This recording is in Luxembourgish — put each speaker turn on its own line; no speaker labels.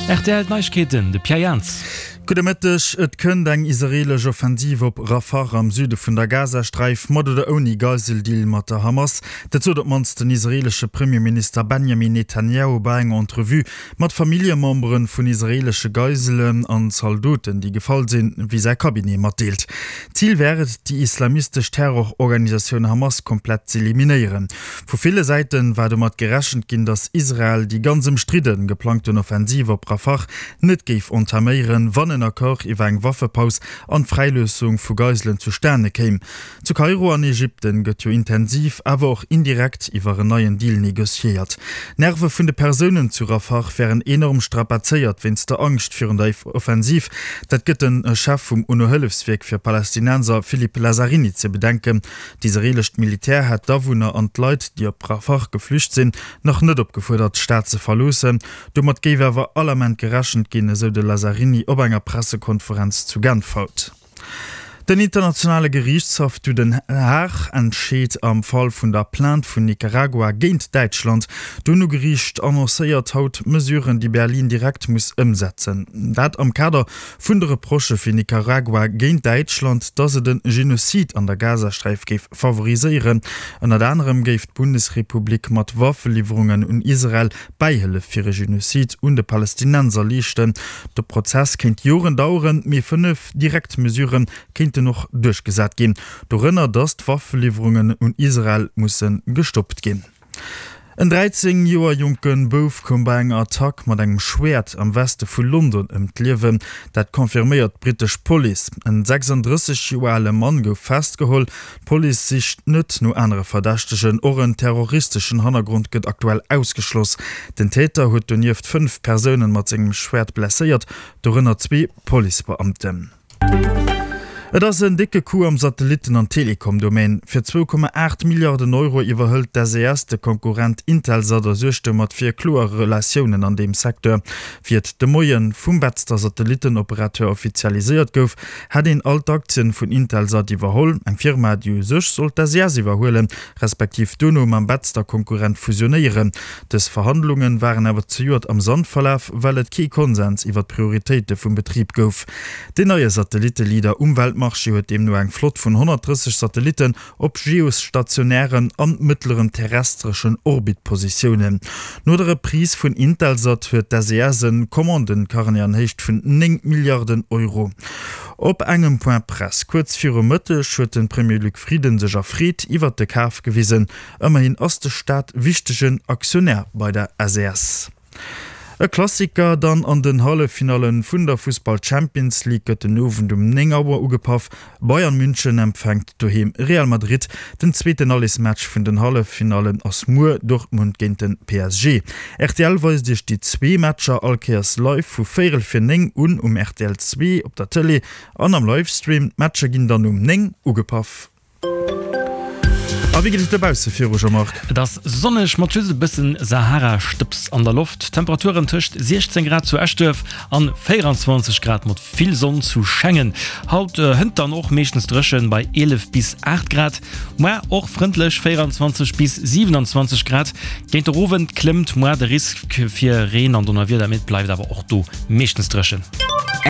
Rtl Neiegkeeten, de Pierre Jans.
Gudde Mëtteg. Et kënnt eng israeelesch Offensiv op Rafah am Süde vun der Gazasträif, mat oder ouni Geiseldeal mat der Hamas. Dat sot op d'mannst den israeelesche Premierminister Benjamin Netanjahu bei enger Entrevue mat Familljemembere vun israeelesche Geiselen an Zaldoten, déi gefall sinn, wéi säi Cabinet matdeelt. Zil wär et, déi islamistesch Terrororganisatioun Hamas komplett z'eliminéieren. Vu ville Säite war domat gerechent ginn, datt Israel déi ganz ëmstridde geplangten Offensiv op Rafah net géif entaméieren, wann en Accord iwwer eng Waffepaus an d'Fräiloossung vu Geiselen zustane kéim. Zu Kairo an Ägypten gëtt jo intensiv, awer och indirekt iwwer en neien Deal negociéiert. D'Nerve vun de Persounen zu Rafah wären enorm strapazéiert wéinst der Angscht virun der Offensiv. Dat gëtt de Chef vum UNO-Hëllefswierk fir Palästinenser Philippe Lazzarini ze bedenken. D'israeelescht Militär hätt d'Awunner an d'Leit, déi op Rafah geflücht sinn, nach net opgefuerdert, d'Stad ze verloossen. Domat géif awer all Ament gerechent ginn, esou de Lazzarini op enger Pressekonferenz zu Genf haut. Den internationale Geriichtshaff zu Den Haag entscheet am Fall vun der Plainte vun Nicaragua géint Däitschland. D'UNO-Geriicht annoncéiert haut Mesuren, déi Berlin direkt muss ëmsetzen. Dat am Kader Vun de Reprochë fir Nicaragua géint Däitschland, datt et e Genozid an der Gazasträif géif favoriséieren. Ënnert anerem géif d'Bundesrepublik mat Waffeliwwerungen un Israel Bäihëllef fir e Genozid un de Palästinenser leeschten. De Prozess kéint Joren daueren, mee 5 direkt Mesurë kéinten och duerchgesat ginn, dorënner datt d'Waffeliwwerungen un Israel musse gestoppt ginn. En 13 Joer jonke Bouf koum bei enger Attack mat engem Schwäert am Weste vu London ëm d'Liewen. Dat confirméiert d'brittesch Police. En 36 Joer ale Mann gouf festgeholl. D'Police sicht net no anere Verdächtegen. Och en terroristeschen Hannergrond gëtt aktuell ausgeschloss. Den Täter huet donieft 5 Persounen mat sengem Schwäert blesséiert, dorënner zwee Policebeamten. Et ass en décke Coup am Satellitten an Telekom-Domaine. Fir 2,8 Milliarden Euro iwwerhëlt d'SES de Konkurrent Intelsat a suergt domat fir kloer Relatiounen an deem Secteur. Wéi et de Moie vum Betzder Satellittenoperateur offizialiséiert gouf, hätt een all d'Aktien vun Intelsat iwwerholl, eng Firma, déi u sech sollt d'SES iwwerhuelen, respektiv dono mam Betzder Konkurrent fusionéieren. Dës Verhandlunge waren awer zejoert am Sand verlaf, well et kee Konsens iwwer d'Prioritéite vum Betrib gouf. Deen neie Satellitte-Leader um Weltmarché huet deemno eng Flott vun 130 Satellitten op geostationären an mëttleren terrestreschen Orbitpositiounen. No der Reprise vun Intelsat huet d'SES en Commandencarnet an Héicht vun 9 Milliarden Euro. Op engem Point Presse kuerz viru Mëtteg huet de Premier Luc Frieden sech erfreet iwwert de Kaf gewisen. Ëmmerhin ass de Staat wichtegen Aktionär bei der SES. E Klassiker dann an den Halleffinallen vun der Fussball Champions League gëtt den Owend um 9 Auer ugepaff. Bayern München empfänkt doheem Real Madrid. Den zweeten Allesmatch vun den Halleffinallen ass muer Dortmund géint den PSG. Rtl weist iech déi zwee Matcher all Kéiers live vu véierel fir 9 un um rtl 2 op der Tëlee an am Livestream. D'Matcher ginn dann um 9 ugepaff. A wéi geet et dobausse viru, Jean-Marc?
Et ass sonneg mat just e bëssen Sahara-Stëbs an der Loft. Temperaturen tëscht 16 Grad zu Eschduerf an 24 Grad mat vill Sonn zu Schengen. Haut hënt dann och meeschtens dréchen bei 11 bis 8 Grad. Moar och frëndlech 24 bis 27 Grad. Géint der Owend klëmmt moar de Risk fir Reen an Donnerwieder, mee et bleift awer och do meeschtens dréchen.